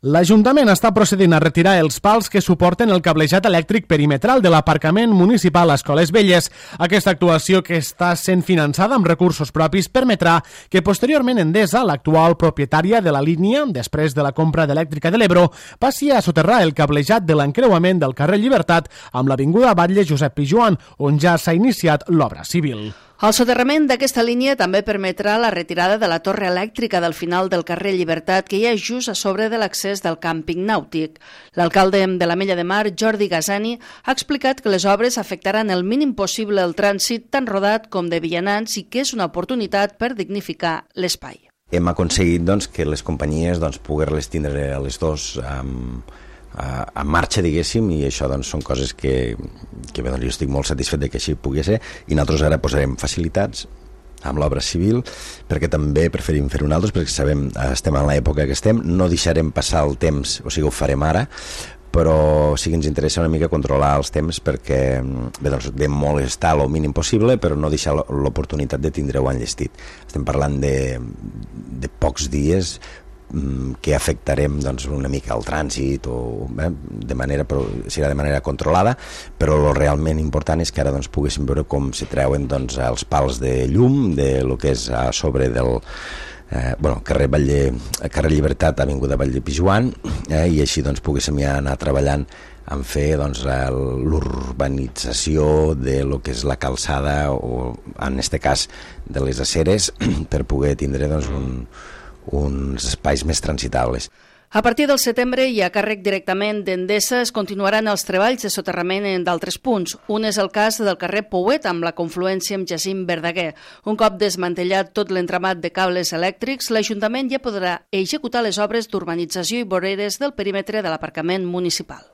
L'Ajuntament està procedint a retirar els pals que suporten el cablejat elèctric perimetral de l'aparcament municipal a Escoles Velles. Aquesta actuació, que està sent finançada amb recursos propis, permetrà que posteriorment Endesa, l'actual propietària de la línia, després de la compra d'Elèctrica de l'Ebro, passi a soterrar el cablejat de l'encreuament del carrer Llibertat amb l'avinguda Batlle Josep Pijoan, on ja s'ha iniciat l'obra civil. El soterrament d'aquesta línia també permetrà la retirada de la torre elèctrica del final del carrer Llibertat, que hi ha just a sobre de l'accés del càmping nàutic. L'alcalde de l'Ametlla de Mar, Jordi Gasani, ha explicat que les obres afectaran el mínim possible el trànsit tant rodat com de vianants i que és una oportunitat per dignificar l'espai. Hem aconseguit que les companyies poder-les tindre a les dos en marxa, diguéssim, i això són coses que jo estic molt satisfet que així pugui ser, i nosaltres ara posarem facilitats amb l'obra civil, perquè també preferim fer-ho nosaltres, perquè sabem, estem en l'època que estem, no deixarem passar el temps, o sigui, ho farem ara, però sí que ens interessa una mica controlar els temps perquè de molestar el mínim possible, però no deixar l'oportunitat de tindre-ho enllestit. Estem parlant de pocs dies que afectarem una mica el trànsit però serà de manera controlada, però el realment important és que ara poguéssim veure com se treuen els pals de llum de lo que és a sobre del carrer Llibertat, avinguda Batlle Pijoan, i així poguéssim ja anar treballant en fer l'urbanització de lo que és la calçada, o en este cas de les aceres, per poder tindre uns espais més transitables. A partir del setembre i a càrrec directament d'Endesa es continuaran els treballs de soterrament en d'altres punts. Un és el cas del carrer Pouet amb la confluència amb Jacint Verdaguer. Un cop desmantellat tot l'entramat de cables elèctrics, l'Ajuntament ja podrà executar les obres d'urbanització i voreres del perímetre de l'aparcament municipal.